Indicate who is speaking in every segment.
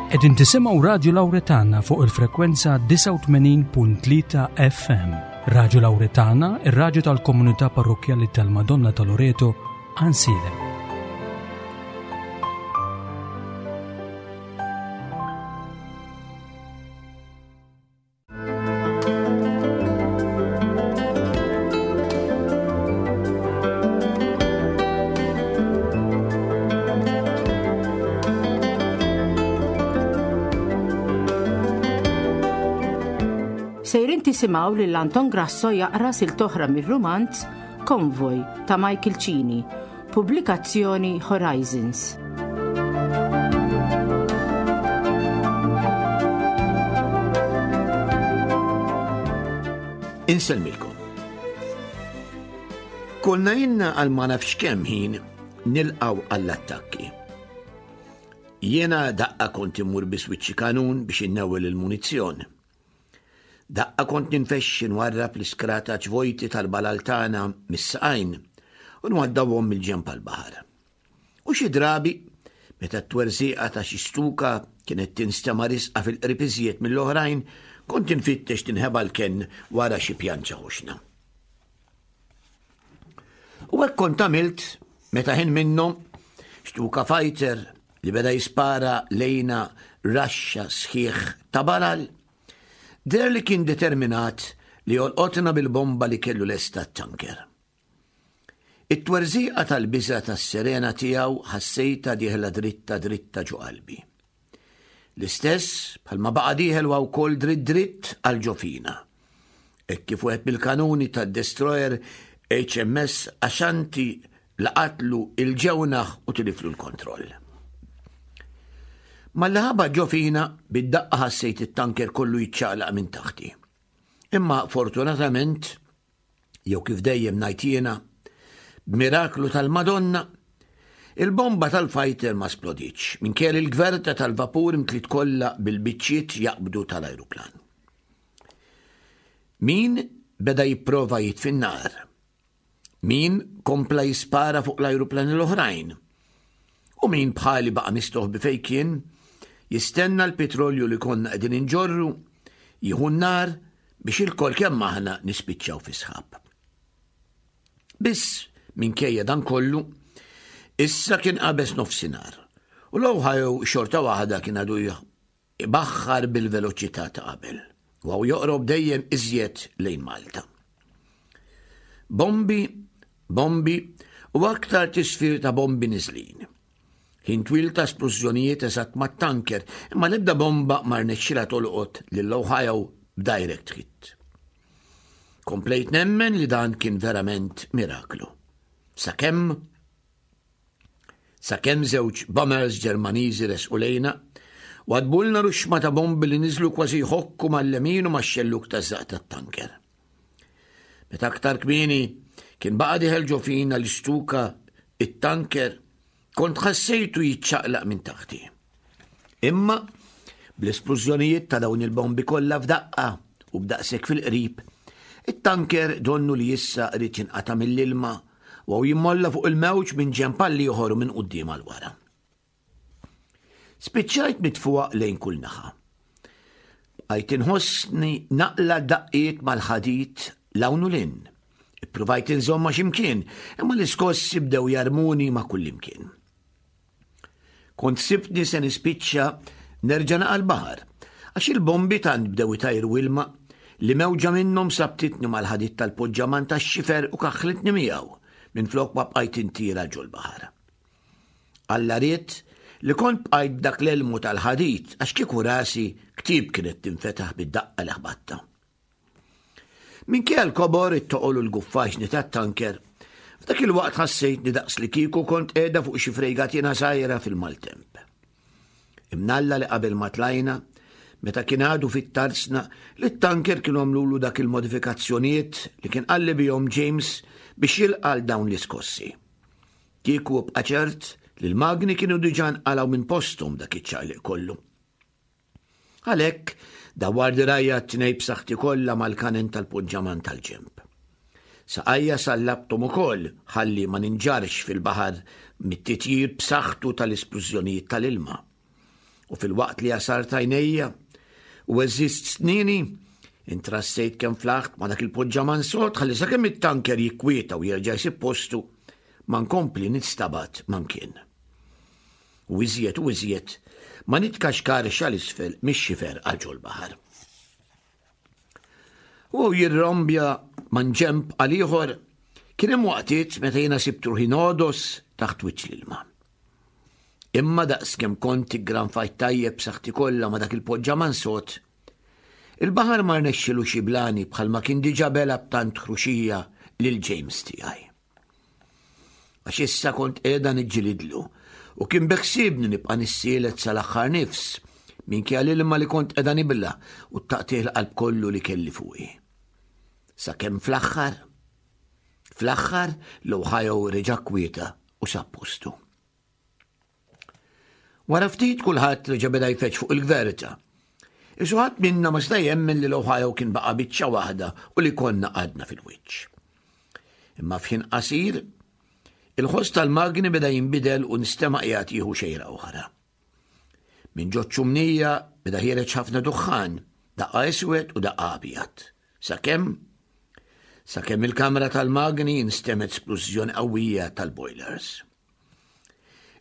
Speaker 1: Qegħdin tisimgħu Radju Lawretana fuq il-frekwenza 89.3 FM. Radju Lawretana, ir-radju tal-komunità parrokkjali tal-Madonna ta' Loreto, Ansilem.
Speaker 2: Sejrin tisimgħu lil Anton Grasso jaqra silta oħra mir-rumanz Konvoj ta' Michael Cini, pubblikazzjoni Horizons.
Speaker 3: Insellmilkom. Konna jenna għal ma nafx kemm ħin nilqaw għall-attakki. Jiena daqqa kont immur biswiċċi kanun biex innewwel il-munizzjon. Daqqa kont ninfexxi nwarrab l-iskrataċ vojti tal-balal tagħna mis-saqajn u nwaddawhom mill-ġenb għall-baħar. U xi drabi, meta t-twerżieqa ta' xi stuka kienet tinstema' risqa fil-qrib iżjed mill-oħrajn, kont infittex tinħeba l-kenn wara xi pjanċa ħoxna. U hekk kont għamilt meta ħin minnhom xtuka fighter li beda jispara lejna raxxa sħiħ ta' balal, deher li kien determinat li jolqotna bil-bomba li kellu lesta t-tanker. It-twerżiqa tal-biża' tas-sirena tiegħu ħassejtha dieħla dritta dritta ġo qalbi. L-istess bħalma baqa' dieħel huwa wkoll dritt dritt għal ġo fina. Hekk kif wieħed mill-kanuni tad-destroyer HMS Ashanti laqatlu il-ġewnaħ u tiliflu l-kontroll. Malli ħabat ġo fina, bid-daqqa ħassejt it-tanker kollu jiċċaqlaq minn taħti. Imma fortunatament, jew kif dejjem ngħid jiena, b'miraklu tal-Madonna, il-bomba tal-fighter ma splodietx, minkejja li l-gverta tal-vapur imtliet kollha bil-biċċiet jaqbdu tal-ajruplan. Min beda jipprova jitfi n-nar? Min kompla jispara fuq l-ajruplani l-oħrajn? U min bħali baqa' mistoħbi fejn kien, jistenna l-pitrolju li konna qegħdin inġorru jieħu n-nar biex ilkoll kemm aħna nispiċċaw fi sħab. Biss, minkejja dan kollu, issa kien qabeż nofsinhar u l-Ohio xorta waħda kien għadu ibaħħar bil-veloċità ta' qabel u għaw joqrob dejjem iżjed lejn Malta. Bombi, bombi u aktar tisfir ta' bombi niżlin. Ħin twil ta' splużjonijiet eżatt mat-tanker, imma l-ebda bomba ma rnexxilha tolqot lil Ohio b'direct hit. Komplejt nemmen li dan kien verament miraklu. Sakemm sakemm żewġ bombers Ġermaniżi resqu lejna, wadbulna ruxma ta' bombi li niżlu kważi jħokku mal-lemin u max-xelluk taż-żaq tat-tanker. Meta aktar kmieni kien baqa' dieħel ġo fina l-istuka it-tanker, kont ħassejtu jiċċaqlaq minn taħti. Imma bl-esplużjonijiet ta' dawn il-bombi kollha f'daqqa u b'daqshekk fil-qrib, it-tanker donnu li issa qrid jinqata' mill-ilma u jimmolla fuq il-mewġ minn ġenb għal ieħor u minn quddiem għal wara. Spiċċajt mitfuq lejn kull naħa. Bqajt inħossni naqla daqqiet mal-ħadid 'l hawn u 'l hinn. Ippruvajt inżomm ma' x'imkien, imma l-iskossi bdew jarmuni ma' kullimkien. Kont sibtni se nispiċċa nerġa' naqa' l-baħar, għax il-bombi tant bdew itajru ilma li mewġa minnhom sabtitni mal-ħadid tal-poġġaman tax-xifer u kaħħlitni miegħu minflok ma bqajt intira ġol-baħar. Alla ried li kont bqajt b'dak l-elmu tal-ħadid għax kieku rasi ktieb kienet tinfetaħ bid-daqqa li ħbatta. Minkejja l-kobor, it-toqol u l-guffaġni tat-tanker, f'dak il-waqt ħassejtni daqs li kieku kont qiegħda fuq xi frejgatina żgħira fil-maltemp. Imnalla li qabel ma tlajna, meta kien għadu fit-tarzna, li t-tanker kienu għamlulu dak il-modifikazzjonijiet li kien qalli bihom James biex jilqa' għal dawn l-iskossi. Kieku ibqa' ċert li l-magni kienu diġà nqalgħu minn posthom dak iċ-ċaqliq kollu. Għalhekk, dawwar dirgħajja t-tnejn b'saħħti kollha mal-kanen tal-poġġaman tal-ġenb. Saqajja sallabthom ukoll ħalli ma ninġarrx fil-baħar mit-titjir b'saħħtu tal-isplużjonijiet tal-ilma. U filwaqt li għasart għajnejja u għeżżiżt snieni, intrassejt kemm flaħt ma' dak il-poġġaman sod ħalli sakemm it-tanker jikkwieta u jerġa' jsib postu, ma nkompli nistabat ma' mkien. U iżjed u iżjed ma nitkaxkarx għal isfel mix-xifer għal ġol-baħar. U jirrombja man ġemp għal ieħor, kien hemm waqtiet meta jiena sibt ruħi nogħdos taħt wiċċ l-ilma. Imma daqs kemm kont iggranfajt tajjeb b'saħħti kollha ma' dak il-poġġaman sod, il-baħar ma rnexxilux jiblani bħalma kien diġà bela b'tant ħruxija lil James tiegħi. Għax issa kont qiegħda niġġilidlu u kien beħsiebni nibqa' nissielet sal-aħħar nifs minkejja l-ilma li kont qiegħda nibla u t-taqtigħ il-qalb kollu li kelli fuqi. Sakemm fl-aħħar, fl-aħħar l-Ohio reġa' kwieta u sab postu. Wara ftit kulħadd reġa' beda jfeġġ fuq il-gverta. Isu ħadd minna ma seta' jemmen li l-Ohio kien baqa' biċċa waħda u li konna għadna fil-wiċċ. Imma f'ħin qasir, il-ħoss tal-magni beda jinbidel u nstema' qiegħed jieħu xejra oħra. Minn ġo ċ-ċumnija beda ħiereġ ħafna duħħan, daqqa iswed u daqqa abjad. Sakemm sakemm il-kamra tal-magni instemgħet splużjoni qawwija tal-boilers.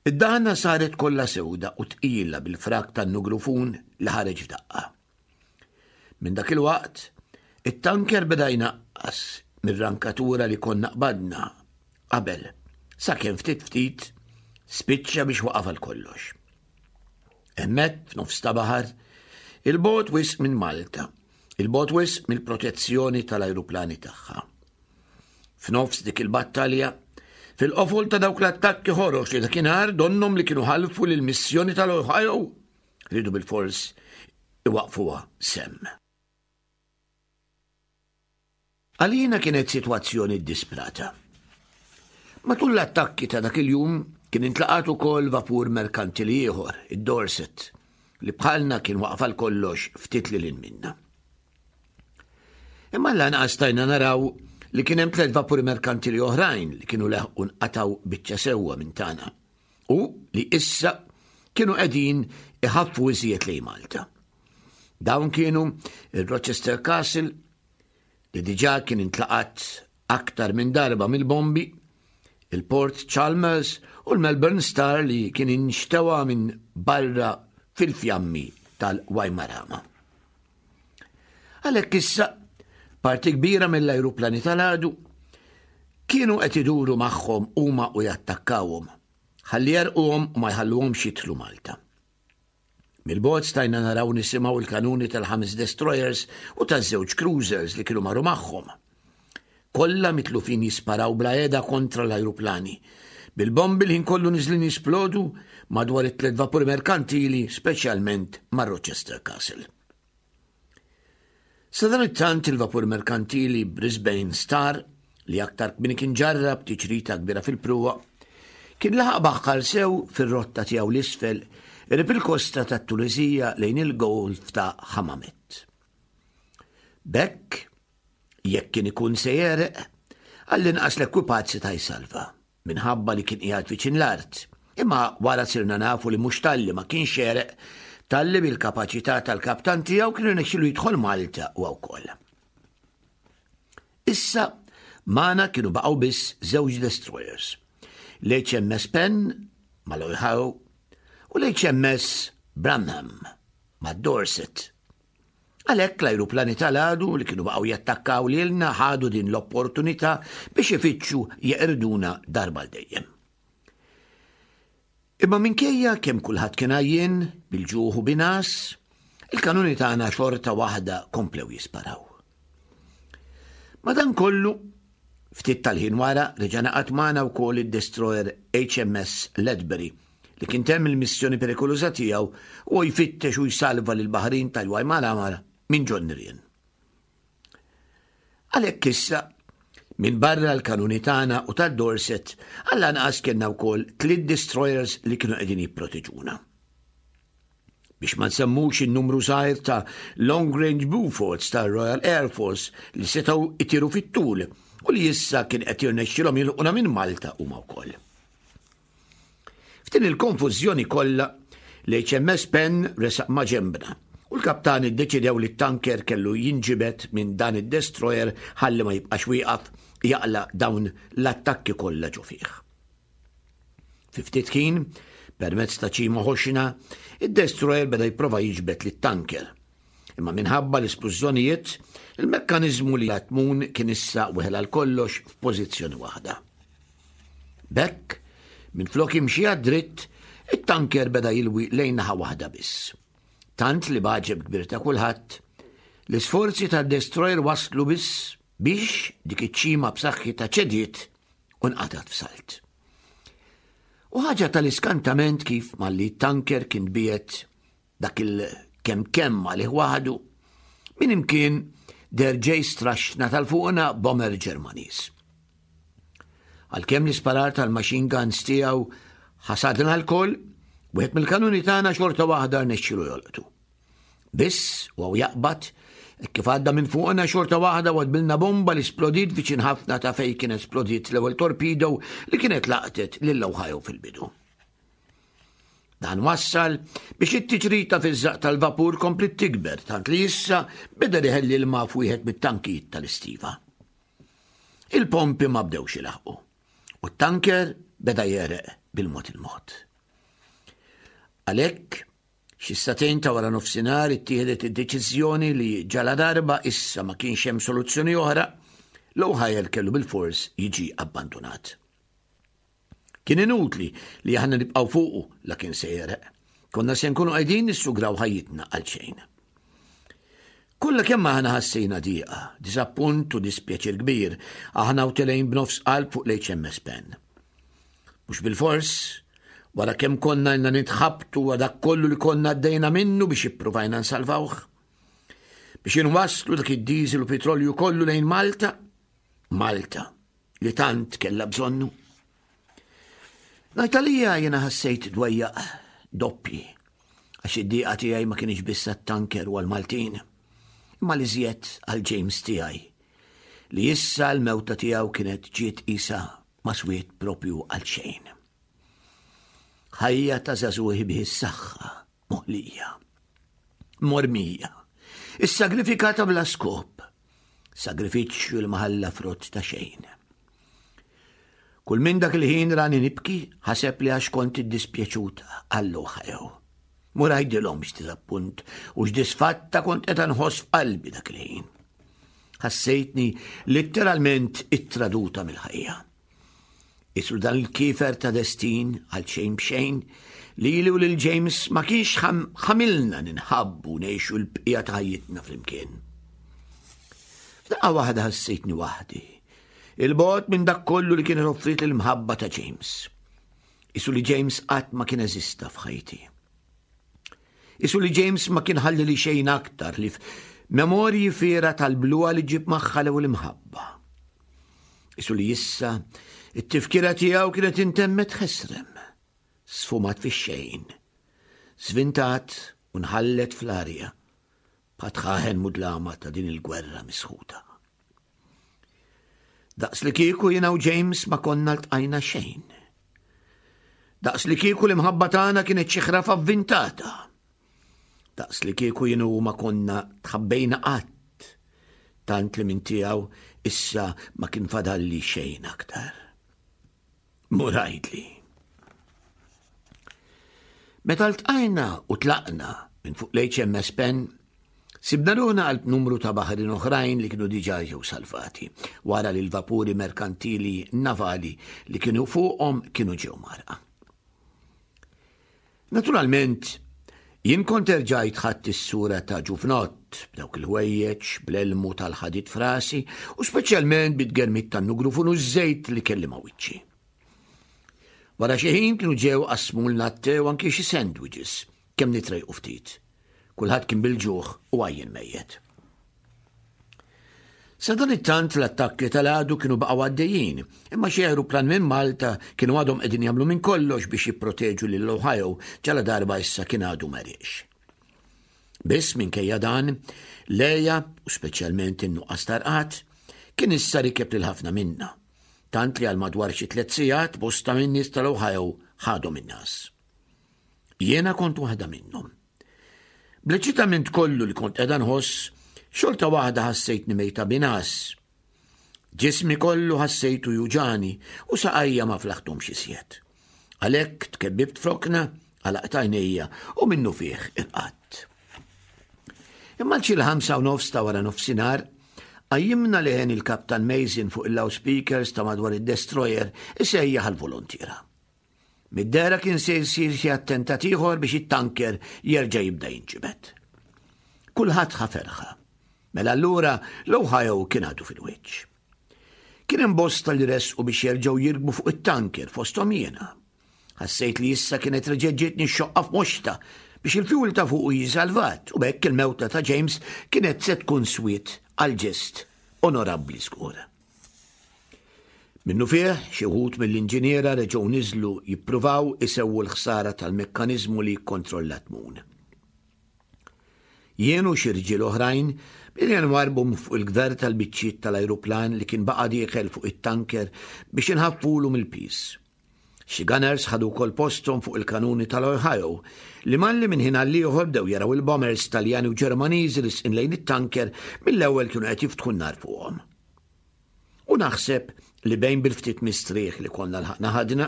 Speaker 3: Id-daħna saret kollha sewda u tqila bil-frak tan-nugrufun li ħareġ f'daqqa. Minn dak il-waqt, it-tanker beda jnaqqas mir-rankatura li konna qbadna qabel, sakemm ftit ftit spiċċa biex waqaf għal kollox. Hemmhekk f'nofs ta' baħar, il-bogħod wisq minn Malta, il-bogħod wisq mill-protezzjoni tal-ajruplani tagħha. F'nofs dik il-battalja, fil-qofol ta' dawk l-attakki ħorox li dakinhar donnhom li kienu ħalfu lil missjoni tal-Ohio, riedu bilfors iwaqfuha semm. Għalina kienet sitwazzjoni ddisprata. Matul l-attakki ta' dak il-jum kien intlaqat ukoll vapur merkantili ieħor, id-Dorset, li bħalna kien waqaf għal kollox ftit lil hinn minna. Imma lanqas stajna naraw li kien hemm tliet vapuri merkantili oħrajn li kienu leħqu nqatgħu biċċa sewwa minn tagħna u li issa kienu qegħdin iħaffu iżjed lejn Malta. Dawn kienu il-Rochester Castle li diġà kien intlaqat aktar minn darba mill-bombi, il-Port Chalmers u l-Melbourne Star li kien inxtewa minn barra fil-fjammi tal-Waimarama. Għalhekk issa, parti kbira mill-ajruplani tal-għadu kienu qed iduru magħhom huma u jattakkawhom, ħalli jerquhom u ma jħalluhomx jidħlu Malta. Mill-bogħod stajna naraw nisimgħu l-kanuni tal-ħames destroyers u taż-żewġ cruisers li kienu marru magħhom. Kollha mitlufin jisparaw bla heda kontra l-ajruplani. Bil-bombi l-ħin kollu niżlin jisplodu madwar it-tliet vapuri merkantili, speċjalment ma' Rochester Castle. Sadanittant il-vapur merkantili Brisbane Star, li aktar kmieni kien ġarrab tiċrita kbira fil-pruwa, kien laħaq baħħar sew fir-rotta tiegħu 'l isfel qrib il-kosta tat-Tuneżija lejn il-Golf ta' Hammamet. B'hekk, jekk kien ikun se jegħreq, għall-inqas l-ekwipaġġ seta' jsalva. minħabba li kien qiegħed viċin l-art. Imma wara sirna nafu li mhux talli ma kienx għereq, talli bil-kapaċità tal-kaptan tiegħu kien irnexxielu jidħol Malta huwa wkoll. Issa magħna kienu baqgħu biss żewġ destroyers, l-HMS Penn mal-Ohio u l-HMS Branham mad-Dorset. Għalhekk l-ajruplani tal-għadu li kienu baqgħu jattakkaw lilna ħadu din l-opportunità biex ifittxu jeqirduna darba għal dejjem. Imma minkejja kemm kulħadd kien għajjien, bil-ġuħ u bin-għas, il-kanuni tagħna xorta waħda komplew jisparaw. Madankollu, ftit tal-ħin wara reġa' naqat magħna wkoll id-destroyer HMS Ledbury li kien temm il-missjoni perikoluża tiegħu u jfittex u jsalva lill-baħrin tal-Waimaramara minn ġon nirien. Għalhekk issa, minn barra l-kanuni tagħna u tad-Dorset, għall-anqas kellna wkoll tliet destroyers li kienu qegħdin jipproteġuna. Biex ma nsemmux in-numru żgħir ta' Long Range Beauforts tar-Royal Air Force li setgħu itiru fit-tul u li issa kien qed jirnexxilhom jilħquna minn Malta huma wkoll. F'din il-konfużjoni kollha, L-HMS Penn resaq ma' ġenbna u l-kaptani ddeċidew li t-tanker kellu jinġibed minn dan id-destroyer ħalli ma jibqax wieqaf jaqla' dawn l-attakki kollha ġo fih. Fi ftit ħin, permezz ta' ċima ħoxna, id-destroyer beda jipprova jiġbed lit-tanker. Imma minħabba l-isplużjonijiet, il-mekkaniżmu li tmun kien issa weħel għal kollox f'pożizzjoni waħda. B'hekk, minflok jimxi għad-dritt, it-tanker beda jilwi lejn naħa waħda biss. Tant li b'għaġeb kbir ta' kulħadd, l-isforzi tad-destroyer waslu biss biex dik iċ-ċima b'saħħitha ċediet u nqatgħet f'salt. U ħaġa tal-iskantament kif malli t-tanker kien biet dak il-kemm kemm għalih waħdu, minn imkien der ġej straxna tal-fuqna bomber Ġermaniż. Għalkemm l-isparar tal-machine guns tiegħu ħasadna l-koll, wieħed mill-kanuni tagħna xorta waħda rnexxielu jolqtu. Biss, u jaqbad, kif għadda minn fuqna xorta waħda wadbilna bomba li splodiet viċin ħafna ta' fej kien esplodiet l-ewwel torpedo li kienet laqtet lil Ohio fil-bidu. Dan wassal biex it-tiġrita fiż-żaq tal-vapur kompliet tikber tant li issa beda iħelli l-ma f'wieħed mit-tankijiet tal-istiva. Il-pompi ma bdewx ilaħqu u t-tanker beda jereq bil-mod il-mod. Għalhekk, xi satejn ta' wara nofsinhar ittieħdet id-deċiżjoni li ġaladarba issa ma kienx hemm soluzzjoni oħra, l-Ohio kellu bil-fors jiġi abbandunat. Kien inutli li aħna nibqgħu fuqu la kien se jereq. Konna se nkunu qegħdin nissugraw ħajjitna għal xejn. Kollha kemm aħna ħassejna diqa, diżappunt u dispjaċir kbir, aħna u telgħin b'nofs qalb fuq l-HMS Penn. Mhux bilfors, wara kemm konna ilna nitħabtu wa dak kollu li konna għaddejna minnu biex ippruvajna nsalvawh. Biex inwasslu dak id-diesel u petrolju kollu lejn Malta, Malta li tant kellha bżonnu. Ngħid għalija jiena ħassejt dwejjaq doppji għax id-dieqa tiegħi ma kienx biss għat-tanker u għall-Maltin, imma li żjed għal James tiegħi li issa l-mewta tiegħu kienet ġiet qisha ma swiet propju għal xejn. Ħajja ta' żagħżugħi bih is-saħħa moħlija, mormija, issagrifikata bla skop, sagrifiċċju li ma ħalla frott ta' xejn. Kull minn dak il-ħin rani nibki, ħaseb li għax kont iddispjaċuta għallu ħajew. Mur għajdilhom x'diżappunt u x'disfatta kont qed nħoss f'qalbi dak il-ħin. Ħassejtni litteralment ittraduta mill-ħajja. Isru dan il-kifer ta' destin għal xejn b'xejn lili u lil James ma kienx ħamilna ninħabbu ngħixu l-bqija ta' ħajjitna flimkien. F'daqqa waħda ħassejtni waħdi. Il-bogħod minn dak kollu li kien offrit l-imħabba ta' James. Isu li James qatt ma kien eżista f'ħajti. Isu li James ma kien ħalli li xejn aktar li memorji fiera tal-bluha li ġib magħha l-ewwel imħabba. Isu li issa it-tifkira tiegħu kienet intemmet ħesrem, sfumat fix-xejn, svintat u nħallet fl-arja bħat-tħaħen mudlama ta' din il-gwerra misħuta. Daqs li kieku jiena u James ma konna ltqajna xejn. Daqs li kieku l-imħabba tagħna kienet xi ħrafa avvintata. Daqs li kieku jien u ma konna tħabbejna qatt, tant li minn tiegħu issa ma kien fadalli xejn aktar. Mur għidli. Meta ltqajna u tlaqna minn fuq l-HMS Penn, sibna ruħna qalb numru ta' baħrin oħrajn li kienu diġà ġew salvati, wara li l-vapuri merkantili navali li kienu fuqhom kienu ġew mgħarrqa. Naturalment, jien kont erġajt ħadt is-sura ta' ġuvnott, b'dawk il-ħwejjeġ, bl-elmu tal-ħadid f'rasi u speċjalment bit-tgermit tan-nugrufun u ż-żejt li kelli ma' wiċċi. Wara xi ħin kienu ġew qassmulna t-te u anki xi sandwiches, kemm nitrejqu ftit. Kulħadd kien bil-ġuħ u għajjen mejjet. Sadanittant l-attakki tal-għadu kienu baqgħu għaddejjin, imma xi ajruplan minn Malta kienu għadhom qegħdin jagħmlu minn kollox biex jipproteġu lil Ohio ġaladarba issa kien għadu m'għeriex. Biss minkejja dan, l-għeja, u speċjalment in-nuqqas ta' rqad, kien issa rikeb lil ħafna minna, tant li għal madwar xi tliet sigħat bosta min-nies tal-Ohio ħadhom in-ngħas. Jiena kont waħda minnhom. Bl-eċitament kollu li kont qiegħda nħoss, xorta waħda ħassejtni mejta binas. Ġismi kollu ħassejtu juġani u saqajja ma flaħtumx iżjed. Għalhekk tkebbibt frokna, għalaqt għajnejja u minnu fih irqadt. Imma l 5:30 ta' wara nofsinhar, qajjimna leħen il-Kaptan Mason fuq il-loudspeakers ta' madwar id-destroyer isejjaħ għall-volontiera. Mid-dehra kien se jsir xi attentat ieħor biex it-tanker jerġa' jibda jinġibed. Kulħadd ħa ferħa. Mela allura l-Ohio kien għadu fil-wiċċ. Kien hemm bosta li resqu biex jerġgħu jirkbu fuq it-tanker fosthom jiena. Ħassejt li issa kienet reġgħet ġietni x-xoqqa f'moxta biex il-fuel ta' fuqu jiġi salvat u b'hekk il-mewta ta' James kienet se tkun swiet għal ġest onorabbli żgur. Minnufih, xi wħud mill-inġiniera reġgħu niżlu jippruvaw isewwu l-ħsara tal-mekkaniżmu li jikkontrolla t-tmun. Jien u xi rġiel oħrajn bdejna nwarrbu minn fuq il-gverta l-biċċiet tal-ajruplan li kien baqa' dieħel fuq it-tanker biex inħaffulu mill-piż. Xi gunners ħadu wkoll posthom fuq il-kanuni tal-Ohio, li malli minn ħin għall-ieħor bdew jaraw il-bombers Taljani u Ġermaniżi risqin lejn it-tanker mill-ewwel kienu qed jiftħu n-nar fuqhom. U naħseb li bejn bil-ftit mistrieħ li konna lħaqna ħadna,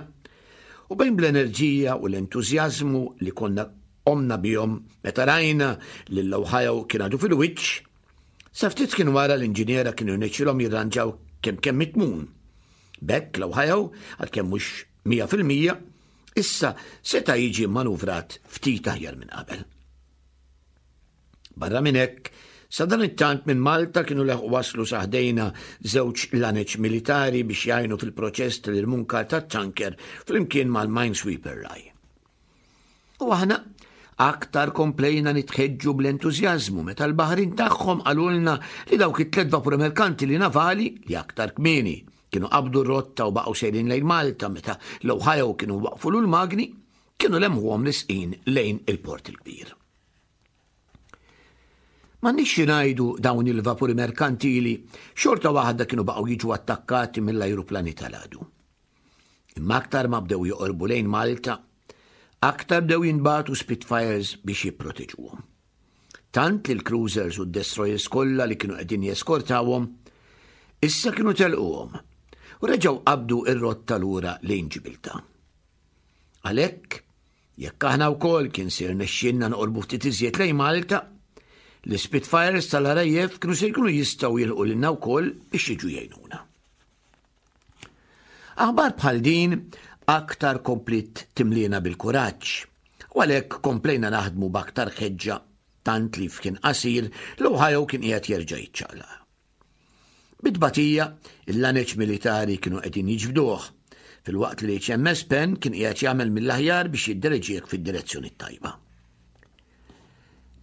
Speaker 3: u bejn bl-enerġija u l-entużjażmu li konna qomna bihom meta rajna li l-Ohio kien għadu fil-wiċċ, sa ftit kien wara l-inġiniera kienu rnexxilhom jirranġaw kemm kemm it-tmun. B'hekk l-Ohio, għalkemm mhux 100%, issa seta' jiġi mmanuvrat ftit aħjar minn qabel. Barra minn hekk, sadanittant minn Malta kienu leħqu waslu sa ħdejna żewġ laneċ militari biex jgħinu fil-proċess tal-irmunkar tat-tanker flimkien mal-minesweeper Rai. U aħna aktar komplejna nitħeġġu bl-entużjażmu meta l-baħrin tagħhom qalulna li dawk it-tlet vapuri merkantili navali li aktar kmieni kienu qabdu r-rotta u baqgħu sejrin lejn Malta meta l-Ohio kienu waqfulu l-magni, kienu lemħuhom lisqin lejn il-Port il-Kbir. M'għandniex xi ngħidu dawn il-vapuri merkantili xorta waħda kienu baqgħu jiġu attakkati mill-ajruplani tal-għadu. Imma aktar ma bdew joqorbu lejn Malta, aktar bdew jinbagħtu Spitfires biex jipproteġuhom. Tant li l-cruisers u d-destroyers kollha li kienu qegħdin jeskortawhom issa kienu telquhom u reġgħu qabdu r-rotta lura lejn Ġibiltà. Għalhekk, jekk aħna wkoll kien se jirnexxielna noqorbu ftit iżjed lejn Malta, l-Spitfires tal-RAF kienu se jkunu jistgħu jilħqu lilna wkoll biex jiġu jgħinuna. Aħbar bħal din aktar kompliet timliena bil-kuraġġ u għalhekk komplejna naħdmu b'aktar ħeġġa tant li f'ħin qasir l-Ohio kien qiegħed jerġa' jiċċaqlaq. Bit-tbatija, il-laneċ militari kienu qegħdin jiġbduh, filwaqt li l-HMS Penn kien qiegħed jagħmel mill-aħjar biex jiddereġih fid-direzzjoni t-tajba.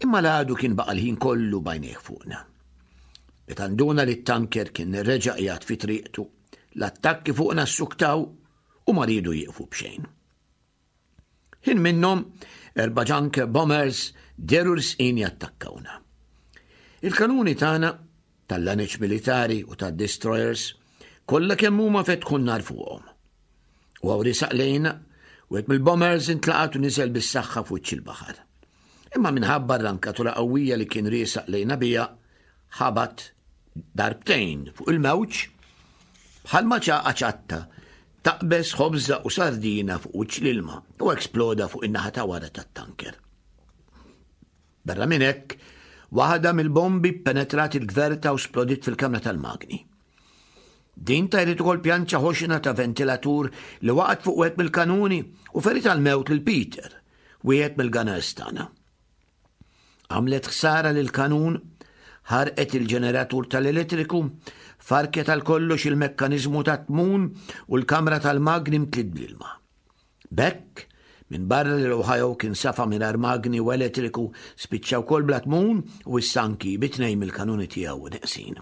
Speaker 3: Imma l-għadu kien baqa' l-ħin kollu b'għajnejh fuqna. Meta nduna li t-tanker kien reġa' qiegħed fi triqtu, l-attakki fuqna ssuktaw u ma riedu jieqfu b'xejn. Ħin minnhom, erba' junker bombers dehru risqin jattakkawna. Il-kanuni tagħna, tal-laneċ militari u tad-destroyers, kollha kemm huma fetħu n-nar fuqhom. U hawn risaq lejna, wieħed mill-bombers intlaqat u niżel bis-saħħa f'wiċċ il-baħar. Imma minħabba r-rankatura qawwija li kien riesaq lejna biha, ħabat darbtejn fuq il-mewġ bħalma ċaqa ċatta taqbeż ħobża u sardina fuq wiċċ l-ilma u eksploda fuq in-naħa ta' wara tat-tanker. Barra minn hekk, waħda mill-bombi penetrat il-gverta u splodiet fil-kamra tal-magni. Din tajret ukoll pjanċa ħoxna ta' ventilatur li waqgħet fuq wieħed mill-kanuni u ferit għall-mewt lil Peter, wieħed mill-gunners tagħna. Għamlet ħsara lill-kanun, ħarqet il-ġeneratur tal-elettriku, farket għal kollox il-mekkaniżmu tat-tmun u l-kamra tal-magni mtliet bl-ilma. B'hekk, minbarra li l-Ohio kien safa mingħajr magni u elettriku, spiċċa wkoll bla tmun u issa anki bi tnejn mill-kanuni tiegħu neqsin.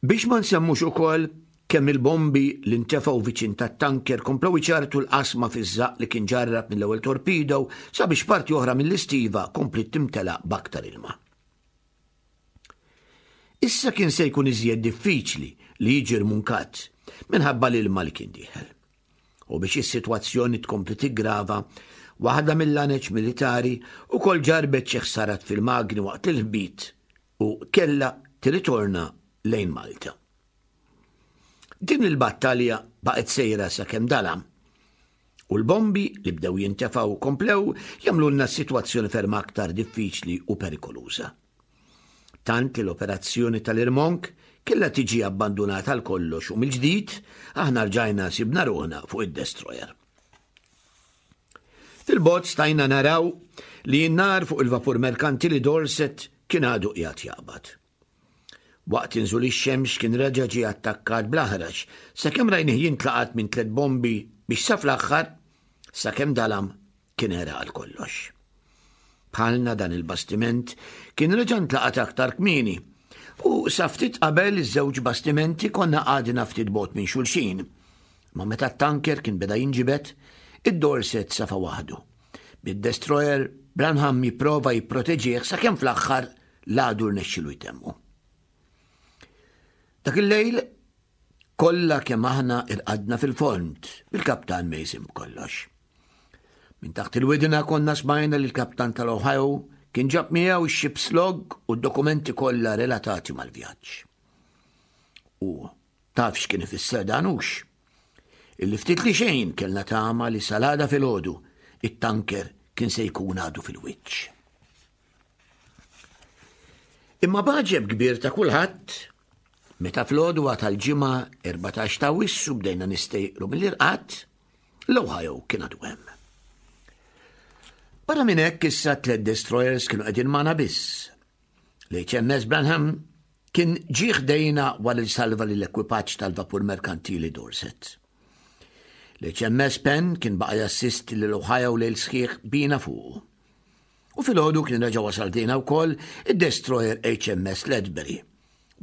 Speaker 3: Biex ma nsemmux ukoll kemm il-bombi li ntefgħu viċin tat-tanker komplew iċarrtu l-qasma fiż-żaqq li kien ġarrab mill-ewwel torpedo sabiex parti oħra mill-istiva kompliet timtela b'aktar ilma. Issa kien se jkun iżjed diffiċli li jiġi rmunkat minħabba l-ilma li kien dieħel. U biex is-sitwazzjoni tkompli tiggrava, waħda mill-laneċ militari ukoll ġarrbet xi ħsarat fil-magni waqt il-ħbit u kellha tirritorna lejn Malta. Din il-battalja baqgħet sejra sakemm dalam u l-bombi li bdew jintefgħu komplew jagħmlulna s-sitwazzjoni ferm aktar diffiċli u perikoluża. Tant li l-operazzjoni tal-irmonk kellha tiġi abbandunata għal kollox u mill-ġdid aħna rġajna sibna ruħna fuq id-destroyer. Fil-bogħod stajna naraw li n-nar fuq il-vapur merkantili Dorset kien għadu qiegħed jaqbad. Waqt inżul ix-xemx kien reġa' ġie attakkat bl-aħrax sakemm rajnih jintlaqat minn tliet bombi biex sa fl-aħħar, sakemm dalam, kien għeraq għal kollox. Bħalna dan il-bastiment kien reġa' ntlaqat aktar kmieni u sa ftit qabel iż-żewġ bastimenti konna għadna ftit bogħod minn xulxin. Ma meta t-tanker kien beda jinġibed, id-Dorset safa waħdu. Bid-destroyer Branham jipprova jipproteġih sakemm fl-aħħar l-għadu rnexxilu jtemmu. Dak il-lejl kollha kemm aħna irqadna fil-fond bil-kaptan Mason b'kollox. Minn taħt il-widna konna smajna li l-kaptan tal-Ohio kien ġab miegħu x-ship's log u d-dokumenti kollha relatati mal-vjaġġ. U taf x'kien ifisser dan hux? Illi ftit li xejn kellna tama li salada filgħodu it-tanker kien se jkun għadu fil-wiċċ. Imma b'għaġeb kbir ta' kulħadd, meta fl-għodwa tal-ġimgħa 14 ta' Awwissu bdejna nistejqru mill-irqad, l-Ohio kien għadu hemm. Barra minn hekk issa tliet destroyers kienu qegħdin magħna biss. L-HMS Branham kien ġie ħdejna wara li salva lill-ekwipaġġ tal-vapur merkantili Dorset. L-HMS Penn kien baqa' jassisti lil Ohio lejl sħiħ bina fuqu. U filgħodu kien reġa' wasal ħdejna wkoll id-destroyer HMS Ledbury,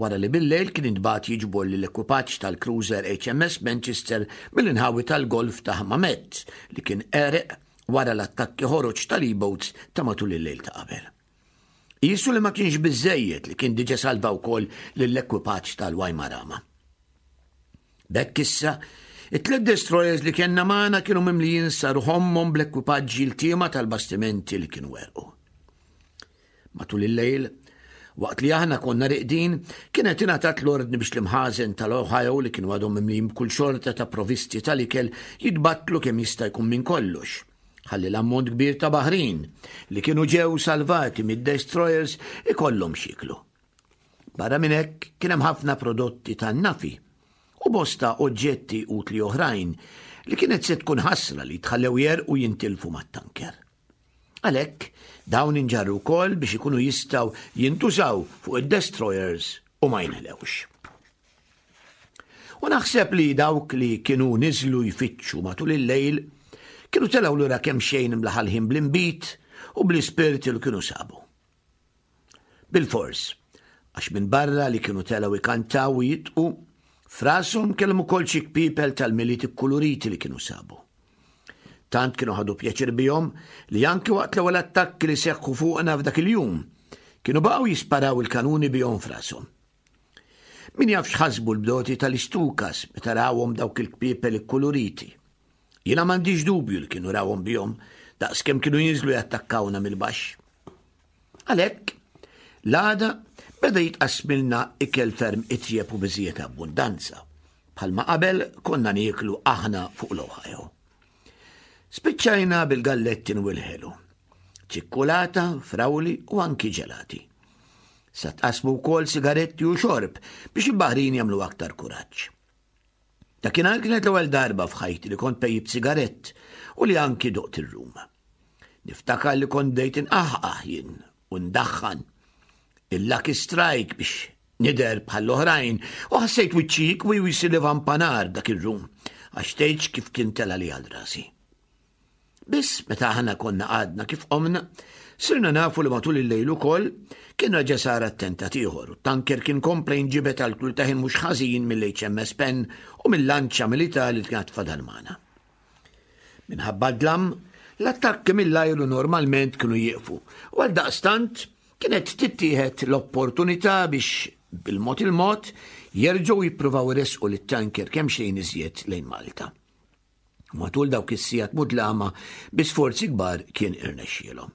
Speaker 3: wara li bil-lejl kien intbagħat jiġbor lill-ekwipaġġ tal-cruiser HMS Manchester mill-inħawi tal-Golf ta' Hammamet li kien għereq wara l-attakki ħoroġ tal-E-boats ta' matul il-lejl ta' qabel. Qisu li ma kienx biżżejjed li kien diġa salva wkoll lill-ekwipaġġ tal-Waimarama. B'hekk issa, it-tliet destroyers li kellna magħna kienu mimlijin sa ruħ ommhom bl-ekwipaġġi ltiema tal-bastimenti li kienu għerqu. Matul il-lejl, waqt li aħna konna riqdin, kienet ingħatat l-ordni biex l-imħażen tal-Ohio li kienu għadhom mimlijin b'kull xorta ta' provisti tal-ikel jitbattlu kemm jista' jkun minn kollox, ħalli l-ammont kbir ta' baħrin li kienu ġew salvati mid-destroyers ikollhom x'jieklu. Barra minn hekk kien hemm ħafna prodotti tan-nafi u bosta oġġetti utli oħrajn li kienet se tkun ħasra li jitħallew jegħrqu jintilfu mat-tanker. Għalhekk, dawn inġarru wkoll biex ikunu jistgħu jintużaw fuq id-destroyers u ma jinħlewx. U naħseb li dawk li kienu niżlu jfittxu matul il-lejl kienu telgħu lura kemxejn imlaħalħin bl-inbid u bl-ispirti li kienu sabu. Bilfors, għax minbarra li kienu telgħu jkantaw u jidqu, f'rashom kellhom ukoll xi kpiepel tal-Milied ikkuluriti li kienu sabu. Tant kienu ħadu pjaċir bihom li anki waqt l-ewwel attakki li seħħu fuqna f'dak il-jum, kienu baqgħu jisparaw il-kanuni bihom f'rashom. Min jaf x'ħasbu l-bdoti tal-istukas meta rawhom dawk il-kpiepel ikkuluriti. Jiena m'għandix dubju li kienu rawhom bihom daqskemm kienu jinżlu jattakkawna mill-baxx. Għalhekk, l-għada beda jitqassmilna ikel ferm itjeb u biżżejjed abbundanza, bħalma qabel konna nieklu aħna fuq l-Ohio. Spiċċajna bil-gallettin u l-ħelu, ċikkulata, frawli u anki ġelati. Sa tqassmu wkoll sigaretti u xorb biex il-baħrin jagħmlu aktar kuraġġ. Dakinhar kienet l-ewwel darba f'ħajti li kont pejjibt sigarett u li anki doqt ir-rum. Niftakar li kont bdejt inqaħqaħ jien u ndaħħan il-Lucky Strike biex nidher bħall-oħrajn u ħassejt wiċċi jikwi u jsir vampanar dak ir-rum għax tgħidx kif kien tela' li għal rasi. Biss meta aħna konna għadna kif qomna, sirna nafu li matul il-lejl ukoll kien reġa' sar attentat ieħor u t-tanker kien kompla jinġibed għal tul ta' ħin mhux ħażin mill-HMS Penn u mill-lanċa militari li kienet fadal magħna. Minħabba d-dlam, l-attakki mill-ajru normalment kienu jieqfu u għaldaqstant kienet tittieħed l-opportunità biex bil-mod il-mod jerġgħu jippruvaw iressqu lit-tanker kemxejn iżjed lejn Malta. U matul dawk is-sigħat mudlama bi sforzi kbar kien irnexxielhom.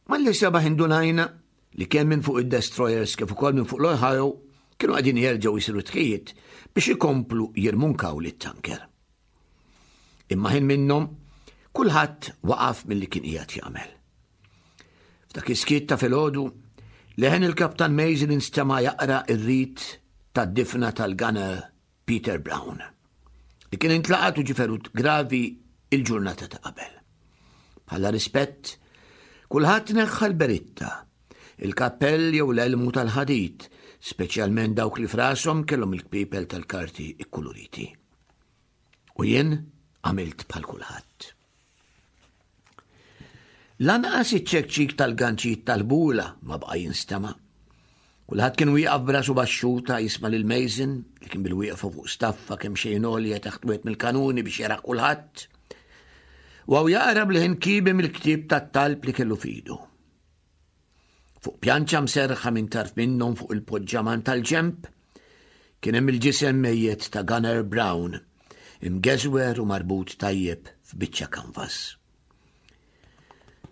Speaker 3: Malli sebaħ indunajna li kemm minn fuq id-destroyers kif ukoll minn fuq l-Ohio kienu qegħdin jerġgħu jsiru tħijiet biex ikomplu jirmunkaw lit-tanker. Imma ħin minnhom kulħadd waqaf milli kien qiegħed jagħmel. F'dak is-skiet ta' filgħodu, leħen il-Kaptan Mason instema' jaqra r-rit tad-difna tal-gunner Peter Brown, li kien intlaqat u ġie ferut gravi il-ġurnata ta' qabel. Bħala rispett, kulħadd neħħa l-beritta, il-kappell jew l-elmu tal-ħadid, speċjalment dawk li frashom kellhom il-kpipel tal-karti ikkuluriti. U jien għamilt bħal kulħadd. Lanqas iċ-ċekċik tal-ganċijiet tal-bula ma baqa' jinstema'. Kulħadd kien wieqaf b'rasu baxxuta jisma' lil Mason li kien bil-wieqfa fuq staffa kemm xejn għolja taħt wieħed mill-kanuni biex jara kulħadd. U hawn jaqra b'leħen kiebi mill-ktieb tat-talb li kellu f'idu. Fuq pjanċa mserrħa minn tarf minnhom fuq il-poġġaman tal-ġenb kien hemm il-ġisem mejjet ta' Gunner Brown, imgeżwer u marbut tajjeb f'biċċa kanvas.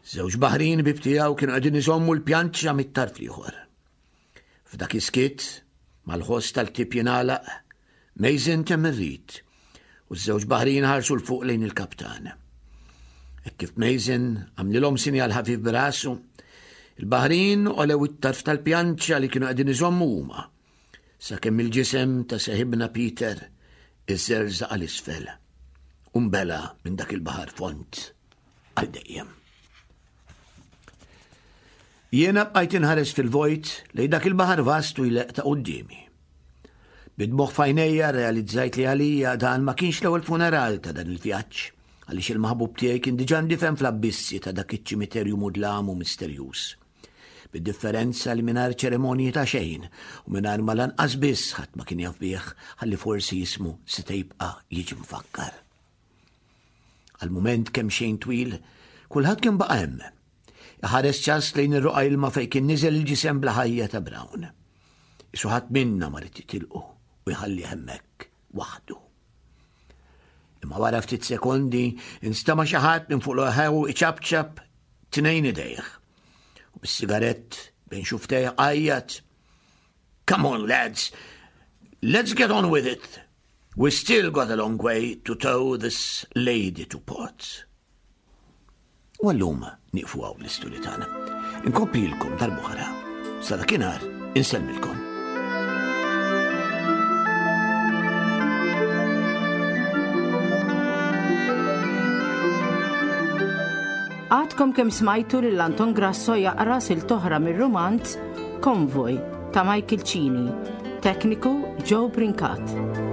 Speaker 3: Żewġ baħrin bib tiegħu kienu qegħdin iżommu l-pjanċa mit-tarf l-ieħor. F'dak is-skiet, mal-ħoss tal-ktieb jingħalaq, Mason temm ir-rit u ż-żewġ baħrin ħarsu 'l fuq lejn il-kaptan. Hekk kif Mason għamlilhom sinjal ħafif b'rasu, il-baħrin olew it-tarf tal-pjanċa li kienu qegħdin iżommu huma, sakemm il-ġisem ta' seħibna Peter iżżerżaq għal isfel u nbela' minn dak il-baħar fond għal dejjem. Jiena bqajt inħares fil-vojt lejn dak il-baħar vast u jleqq ta' quddiemi. Bid-dmugħ f'għajnejja rrealizzajt li għalija dan ma kienx l-ewwel funeral ta' dan il-vjaġġ, għaliex il-maħbub tiegħi kien diġà ndifen fl-abbissi ta' dak iċ-ċimiterju mudlam u misterjuż. Bid-differenza li mingħajr ċerimonji ta' xejn u mingħajr ma lanqas biss ħadd ma kien jaf bih ħalli forsi jismu seta' jibqa' jiġi mfakkar. Għal mument kemm xejn twil, kulħadd kien baqa' hemm. Iħares ċass lejn ir-roqa ilma fejn kien niżel il-ġisem bla ħajja ta' Brown. Isu ħadd minna ma rid jitilqu u jħalli hemmhekk waħdu. Imma wara ftit sekondi instama' xi ħadd minn fuq l-ħew iċapċap tnejn idejh. U bis-sigarett bejn xuftejh għajjat Come on lads, let's get on with it. We still got a long way to tow this lady to port. U għallum nieqfu hawn l-istudju tagħna. Inkomplilkom darb'oħra. Sa dakinhar insellmilkom.
Speaker 2: Għadkom kemm smajtu lil Anton Grasso jaqra silta oħra mir-rumanz Konvoj ta' Michael Cini. Tekniku Joe Brincat.